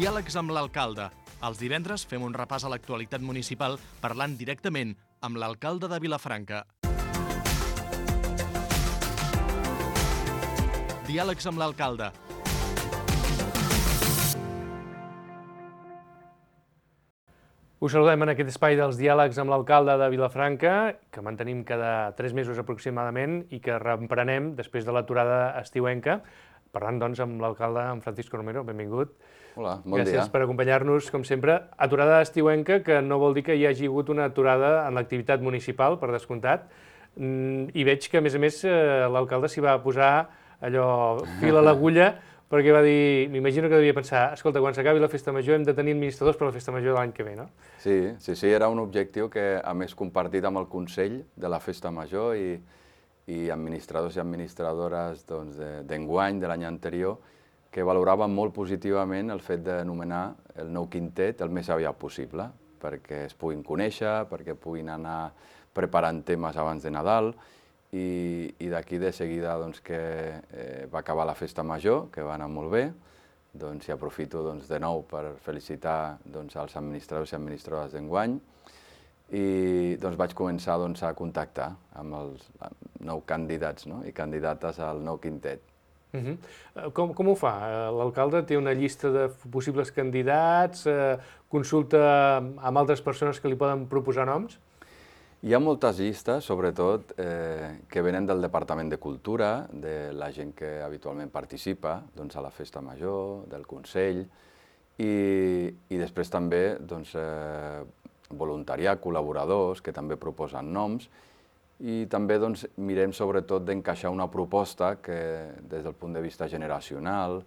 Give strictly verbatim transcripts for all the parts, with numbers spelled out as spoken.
Diàlegs amb l'alcalde. Els divendres fem un repàs a l'actualitat municipal parlant directament amb l'alcalde de Vilafranca. Diàlegs amb l'alcalde. Us saludem en aquest espai dels diàlegs amb l'alcalde de Vilafranca, que mantenim cada tres mesos aproximadament i que reemprenem després de l'aturada estiuenca, parlant doncs amb l'alcalde, en Francisco Romero. Benvingut. Hola, bon dia. Gràcies per acompanyar-nos, com sempre. Aturada estiuenca, que no vol dir que hi hagi hagut una aturada en l'activitat municipal, per descomptat, i veig que, a més a més, l'alcalde s'hi va posar allò fil a l'agulla, perquè va dir, m'imagino que devia pensar, escolta, quan s'acabi la festa major hem de tenir administradors per la festa major de l'any que ve, no? Sí, sí, sí, era un objectiu que, a més, compartit amb el Consell de la Festa Major i, i administradors i administradores doncs, d'enguany, de l'any anterior, que valoraven molt positivament el fet d'anomenar el nou quintet el més aviat possible, perquè es puguin conèixer, perquè puguin anar preparant temes abans de Nadal, i, i d'aquí de seguida doncs, que eh, va acabar la festa major, que va anar molt bé, doncs, i aprofito doncs, de nou per felicitar doncs, els administradors i administradores d'enguany, i doncs, vaig començar doncs, a contactar amb els nou candidats, no? I candidates al nou quintet. Uh-huh. com, com ho fa? L'alcalde té una llista de possibles candidats, eh, consulta amb altres persones que li poden proposar noms? Hi ha moltes llistes, sobretot, eh, que venen del Departament de Cultura, de la gent que habitualment participa doncs, a la Festa Major, del Consell, i, i després també doncs, eh, voluntariat, col·laboradors, que també proposen noms, i també doncs, mirem sobretot d'encaixar una proposta que, des del punt de vista generacional,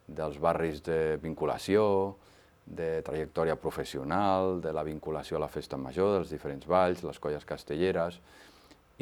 dels barris de vinculació, de trajectòria professional, de la vinculació a la festa major, dels diferents balls, les colles castelleres,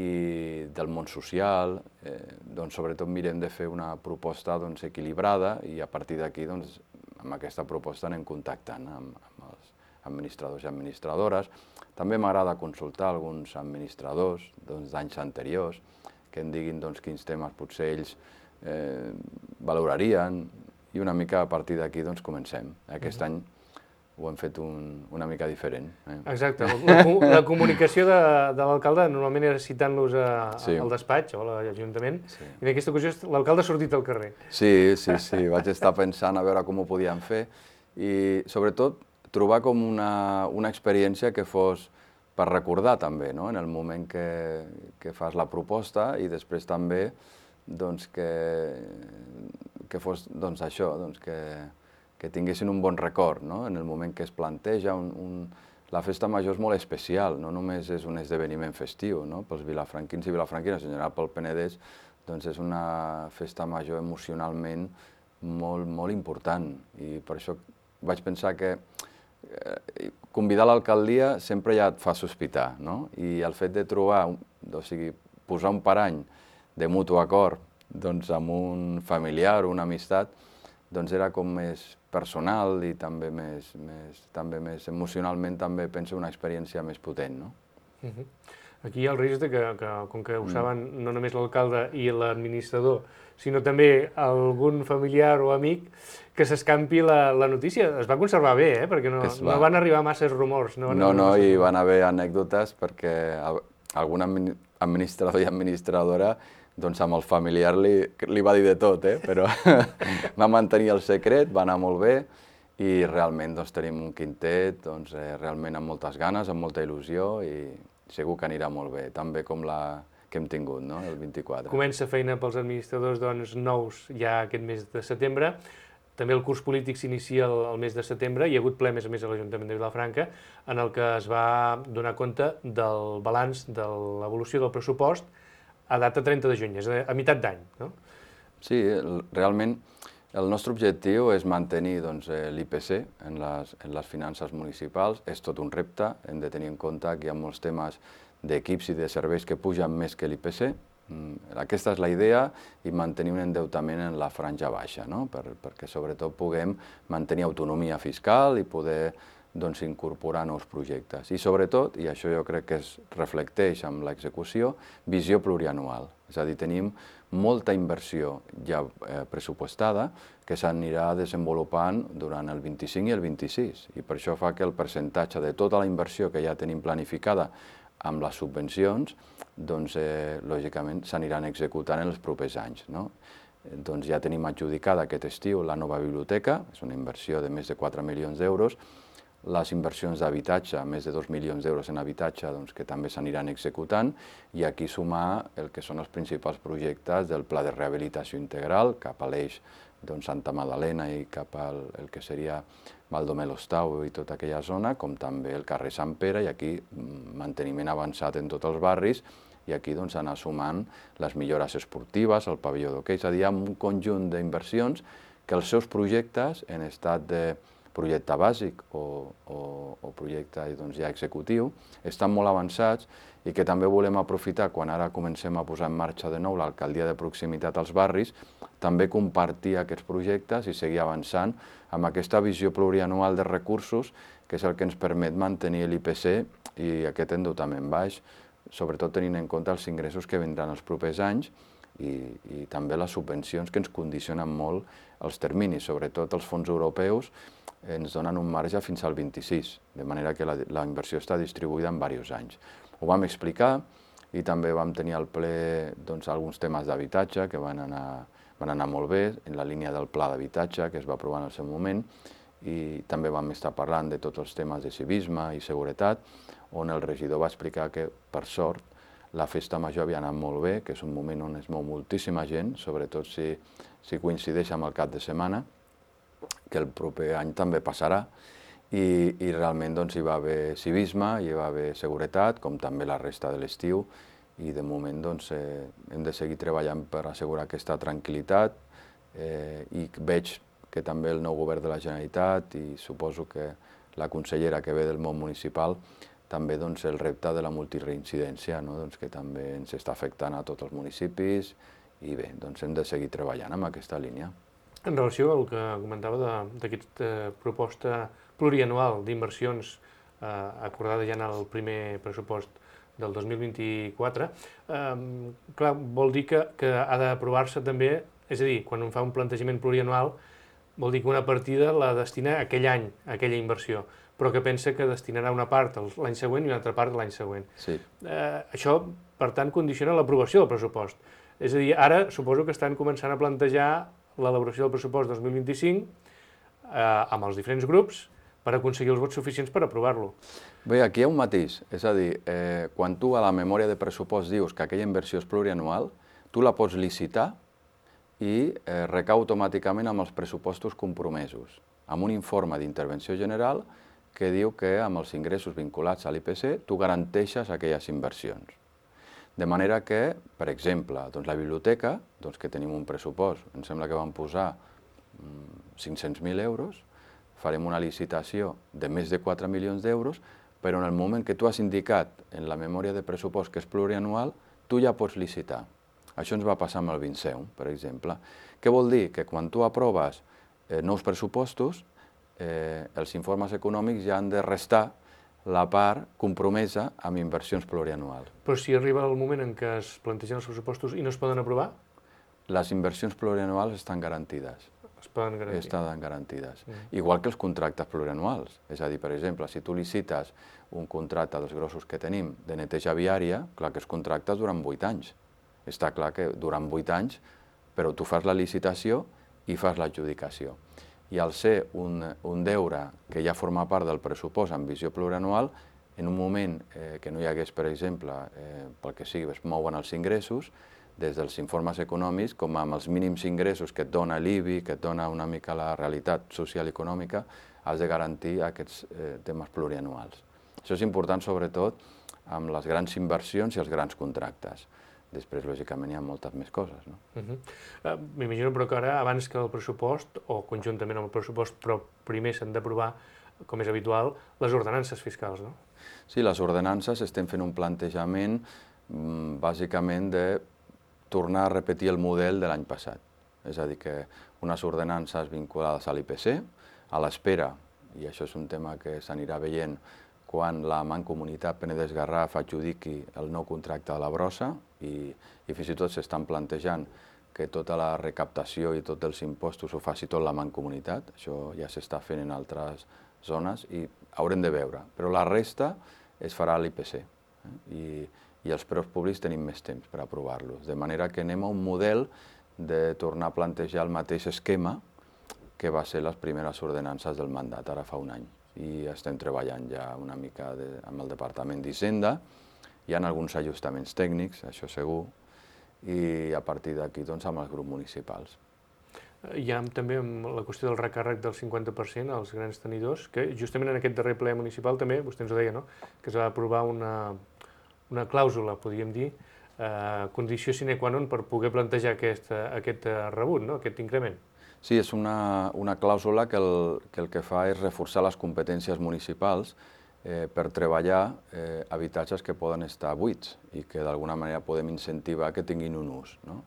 i del món social, eh, doncs, sobretot mirem de fer una proposta doncs, equilibrada, i a partir d'aquí, doncs, amb aquesta proposta anem contactant amb, amb els administradors i administradores. També m'agrada consultar alguns administradors doncs, d'anys anteriors que em diguin doncs, quins temes potser ells eh, valorarien, i una mica a partir d'aquí doncs, comencem. Aquest any ho hem fet un, una mica diferent. Eh? Exacte. La, la comunicació de, de l'alcalde normalment era citant-los sí. al despatx o a l'Ajuntament, sí. i en aquesta ocasió l'alcalde ha sortit al carrer. Sí, sí, sí. Vaig estar pensant a veure com ho podíem fer i, sobretot, trobar com una, una experiència que fos per recordar també, no? En el moment que, que fas la proposta, i després també doncs, que, que fos doncs, això, doncs, que, que tinguessin un bon record, no? En el moment que es planteja. Un, un... La festa major és molt especial, no només és un esdeveniment festiu, no? Pels vilafranquins i vilafranquines, en general pel Penedès, doncs és una festa major emocionalment molt, molt important, i per això vaig pensar que convidar l'alcaldia sempre ja et fa sospitar, no? I el fet de trobar, o sigui, posar un parany de mutu acord doncs, amb un familiar o una amistat, doncs era com més personal i també més, més, també més emocionalment, també penso una experiència més potent, no? Uh-huh. Aquí hi ha el risc que, que com que ho mm. saben no només l'alcalde i l'administrador, sinó també algun familiar o amic, que s'escampi la, la notícia. Es va conservar bé, eh? Perquè no, va. no van arribar masses rumors. No, no, no i van haver anècdotes perquè algun administrador i administradora doncs amb el familiar li, li va dir de tot, eh? Però va mantenir el secret, va anar molt bé, i realment doncs, tenim un quintet doncs, eh, realment amb moltes ganes, amb molta il·lusió, i segur que anirà molt bé, tan bé com la que hem tingut, no? El vint-i-quatre. Comença feina pels administradors doncs, nous ja aquest mes de setembre. També el curs polític s'inicia el, el mes de setembre. Hi ha hagut ple, a més a més, a l'Ajuntament de Vilafranca, en el que es va donar compte del balanç de l'evolució del pressupost a data trenta de juny, és a, a meitat d'any, no? Sí, realment el nostre objectiu és mantenir doncs, l'I P C en les, en les finances municipals. És tot un repte, hem de tenir en compte que hi ha molts temes d'equips i de serveis que pugen més que l'I P C. Aquesta és la idea, i mantenir un endeutament en la franja baixa, no? Per, perquè sobretot puguem mantenir autonomia fiscal i poder doncs, incorporar nous projectes. I sobretot, i això jo crec que es reflecteix amb l'execució, visió plurianual. És a dir, tenim molta inversió ja eh, pressupostada que s'anirà desenvolupant durant el vint-i-cinc i el vint-i-sis. I per això fa que el percentatge de tota la inversió que ja tenim planificada amb les subvencions, doncs, eh, lògicament, s'aniran executant en els propers anys. No? Doncs ja tenim adjudicada aquest estiu la nova biblioteca, és una inversió de més de quatre milions d'euros, les inversions d'habitatge, més de dos milions d'euros en habitatge, doncs, que també s'aniran executant, i aquí sumar el que són els principals projectes del Pla de Rehabilitació Integral, cap a l'eix doncs, Santa Magdalena i cap al el que seria Baldomer-l'Hostau i tota aquella zona, com també el carrer Sant Pere, i aquí manteniment avançat en tots els barris, i aquí doncs, anar sumant les millores esportives, el pavelló d'hoquei, és a dir, amb un conjunt d'inversions que els seus projectes en estat de projecte bàsic o, o, o projecte doncs, ja executiu, estan molt avançats i que també volem aprofitar quan ara comencem a posar en marxa de nou l'alcaldia de proximitat als barris, també compartir aquests projectes i seguir avançant amb aquesta visió plurianual de recursos, que és el que ens permet mantenir l'I P C i aquest endeutament baix, sobretot tenint en compte els ingressos que vindran els propers anys i, i també les subvencions que ens condicionen molt els terminis, sobretot els fons europeus, ens donen un marge fins al vint-i-sis, de manera que la, la inversió està distribuïda en diversos anys. Ho vam explicar i també vam tenir al ple doncs, alguns temes d'habitatge que van anar, van anar molt bé, en la línia del pla d'habitatge que es va aprovar en el seu moment, i també vam estar parlant de tots els temes de civisme i seguretat, on el regidor va explicar que, per sort, la festa major havia anat molt bé, que és un moment on es mou moltíssima gent, sobretot si, si coincideix amb el cap de setmana, que el proper any també passarà, i, i realment doncs, hi va haver civisme, hi va haver seguretat, com també la resta de l'estiu, i de moment doncs, eh, hem de seguir treballant per assegurar aquesta tranquil·litat, eh, i veig que també el nou govern de la Generalitat i suposo que la consellera que ve del món municipal també doncs, el repte de la multireincidència, no? doncs, que també ens està afectant a tots els municipis i bé, doncs hem de seguir treballant amb aquesta línia. En relació al que comentava d'aquesta proposta plurianual d'inversions eh, acordada ja en el primer pressupost del dos mil vint-i-quatre, eh, clar, vol dir que, que ha d'aprovar-se també, és a dir, quan un fa un plantejament plurianual, vol dir que una partida la destina aquell any, a aquella inversió, però que pensa que destinarà una part l'any següent i una altra part l'any següent. Sí. Eh, això, per tant, condiciona l'aprovació del pressupost. És a dir, ara suposo que estan començant a plantejar l'elaboració del pressupost dos mil vint-i-cinc eh, amb els diferents grups per aconseguir els vots suficients per aprovar-lo. Bé, aquí hi ha un matís, és a dir, eh, quan tu a la memòria de pressupost dius que aquella inversió és plurianual, tu la pots licitar i eh, recau automàticament amb els pressupostos compromesos, amb un informe d'intervenció general que diu que amb els ingressos vinculats a l'I P C tu garanteixes aquelles inversions. De manera que, per exemple, doncs la biblioteca, doncs que tenim un pressupost, em sembla que vam posar cinc-cents mil euros, farem una licitació de més de quatre milions d'euros, però en el moment que tu has indicat en la memòria de pressupost que és plurianual, tu ja pots licitar. Això ens va passar amb el Vinceum, per exemple. Què vol dir? Que quan tu aproves eh, nous pressupostos, eh, els informes econòmics ja han de restar la part compromesa amb inversions plurianuals. Però si arriba el moment en què es plantegen els pressupostos i no es poden aprovar? Les inversions plurianuals estan garantides. Es poden garantir. Estan garantides. Mm. Igual que els contractes plurianuals. És a dir, per exemple, si tu licites un contracte dels grossos que tenim de neteja viària, clar que els contractes duran vuit anys. Està clar que duran vuit anys, però tu fas la licitació i fas l'adjudicació. I al ser un, un deure que ja forma part del pressupost amb visió plurianual, en un moment eh, que no hi hagués, per exemple, eh, pel que sigui, es mouen els ingressos, des dels informes econòmics, com amb els mínims ingressos que et dona l'I B I, que et dona una mica la realitat social i econòmica, has de garantir aquests eh, temes plurianuals. Això és important, sobretot, amb les grans inversions i els grans contractes. Després, lògicament, hi ha moltes més coses, no? Uh -huh. uh, M'imagino, però, que ara, abans que el pressupost, o conjuntament amb el pressupost, però primer s'han d'aprovar, com és habitual, les ordenances fiscals, no? Sí, les ordenances estem fent un plantejament, bàsicament, de tornar a repetir el model de l'any passat. És a dir, que unes ordenances vinculades a l'I P C, a l'espera, i això és un tema que s'anirà veient quan la Mancomunitat Penedès-Garraf adjudiqui el nou contracte de la brossa, I, i fins i tot s'estan plantejant que tota la recaptació i tots els impostos ho faci tot la mancomunitat. Això ja s'està fent en altres zones i haurem de veure. Però la resta es farà a l'I P C. Eh? I, I els preus públics tenim més temps per aprovar-los. De manera que anem a un model de tornar a plantejar el mateix esquema que va ser les primeres ordenances del mandat, ara fa un any. I estem treballant ja una mica de, amb el Departament d'Hisenda. Hi ha alguns ajustaments tècnics, això segur, i a partir d'aquí doncs, amb els grups municipals. Hi ha també la qüestió del recàrrec del cinquanta per cent als grans tenidors, que justament en aquest darrer ple municipal també, vostè ens ho deia, no?, que es va aprovar una, una clàusula, podríem dir, eh, condició sine qua non per poder plantejar aquest, aquest rebut, no?, aquest increment. Sí, és una, una clàusula que el, que el que fa és reforçar les competències municipals eh, per treballar eh, habitatges que poden estar buits i que d'alguna manera podem incentivar que tinguin un ús, no?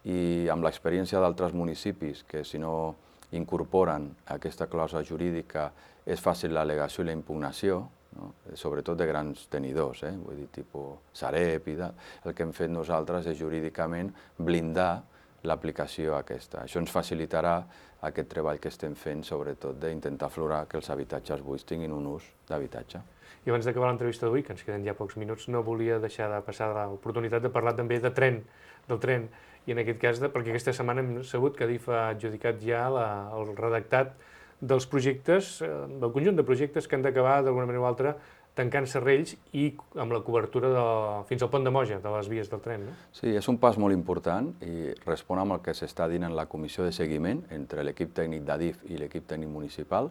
I amb l'experiència d'altres municipis que si no incorporen aquesta clàusula jurídica és fàcil l'al·legació i la impugnació, no? Sobretot de grans tenidors, eh? Vull dir, tipus Sareb i tal. El que hem fet nosaltres és jurídicament blindar l'aplicació aquesta. Això ens facilitarà aquest treball que estem fent, sobretot d'intentar aflorar que els habitatges buits tinguin un ús d'habitatge. I abans d'acabar l'entrevista d'avui, que ens queden ja pocs minuts, no volia deixar de passar l'oportunitat de parlar també de tren, del tren, i en aquest cas, de, perquè aquesta setmana hem sabut que Adif ha adjudicat ja la, el redactat dels projectes, del conjunt de projectes que han d'acabar d'alguna manera o altra tancant serrells i amb la cobertura de, fins al pont de Moja, de les vies del tren, no? Sí, és un pas molt important i respon amb el que s'està dint en la comissió de seguiment entre l'equip tècnic d'Adif i l'equip tècnic municipal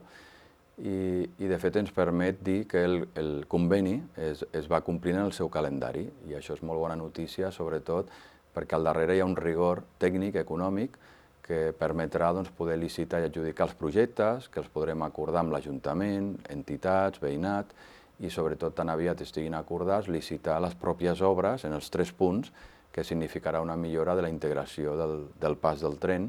i, i de fet ens permet dir que el, el conveni es, es va complint en el seu calendari i això és molt bona notícia, sobretot perquè al darrere hi ha un rigor tècnic, econòmic, que permetrà doncs, poder licitar i adjudicar els projectes, que els podrem acordar amb l'Ajuntament, entitats, veïnat, i sobretot tan aviat estiguin acordats, licitar les pròpies obres en els tres punts, que significarà una millora de la integració del, del pas del tren,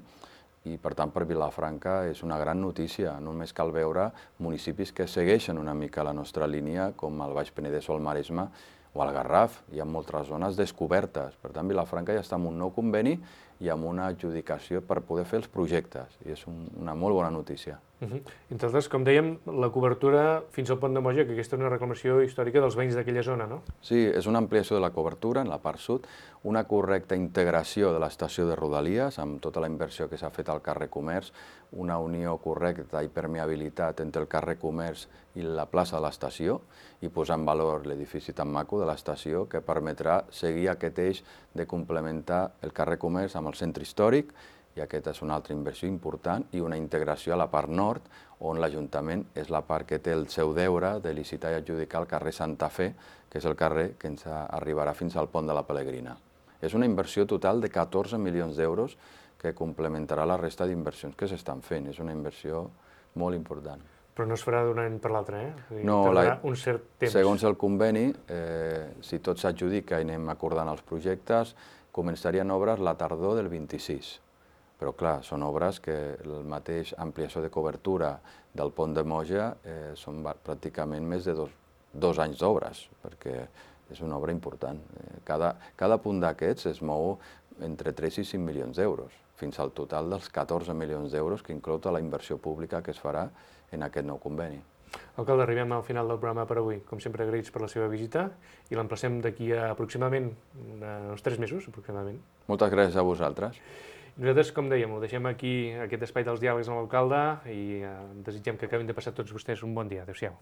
i per tant per Vilafranca és una gran notícia. Només cal veure municipis que segueixen una mica la nostra línia, com el Baix Penedès o el Maresme, o al Garraf, hi ha moltes zones descobertes. Per tant, Vilafranca ja està amb un nou conveni i amb una adjudicació per poder fer els projectes, i és un, una molt bona notícia. Uh-huh. Entre altres, com dèiem, la cobertura fins al pont de Moja, que aquesta és una reclamació històrica dels veïns d'aquella zona, no? Sí, és una ampliació de la cobertura en la part sud, una correcta integració de l'estació de Rodalies, amb tota la inversió que s'ha fet al carrer Comerç, una unió correcta i permeabilitat entre el carrer Comerç i la plaça de l'estació, i posar en valor l'edifici tan maco de l'estació, que permetrà seguir aquest eix de complementar el carrer Comerç amb el centre històric, i aquesta és una altra inversió important, i una integració a la part nord, on l'Ajuntament és la part que té el seu deure de licitar i adjudicar el carrer Santa Fe, que és el carrer que ens arribarà fins al pont de la Pelegrina. És una inversió total de catorze milions d'euros que complementarà la resta d'inversions que s'estan fent. És una inversió molt important. Però no es farà d'un any per l'altre, eh? O sigui, no, tardarà la, un cert temps. Segons el conveni, eh, si tot s'adjudica i anem acordant els projectes, començarien obres la tardor del vint-i-sis. Però clar, són obres que el mateix ampliació de cobertura del pont de Moja eh, són pràcticament més de dos, dos anys d'obres, perquè és una obra important. Cada, cada punt d'aquests es mou entre tres i cinc milions d'euros, fins al total dels catorze milions d'euros que inclou tota la inversió pública que es farà en aquest nou conveni. Alcalde, arribem al final del programa per avui. Com sempre, agraïts per la seva visita i l'emplacem d'aquí a aproximadament uns tres mesos, aproximadament. Moltes gràcies a vosaltres. Nosaltres, com dèiem, ho deixem aquí, aquest espai dels diàlegs amb l'alcalde, i desitgem que acabin de passar tots vostès un bon dia. Adéu-siau.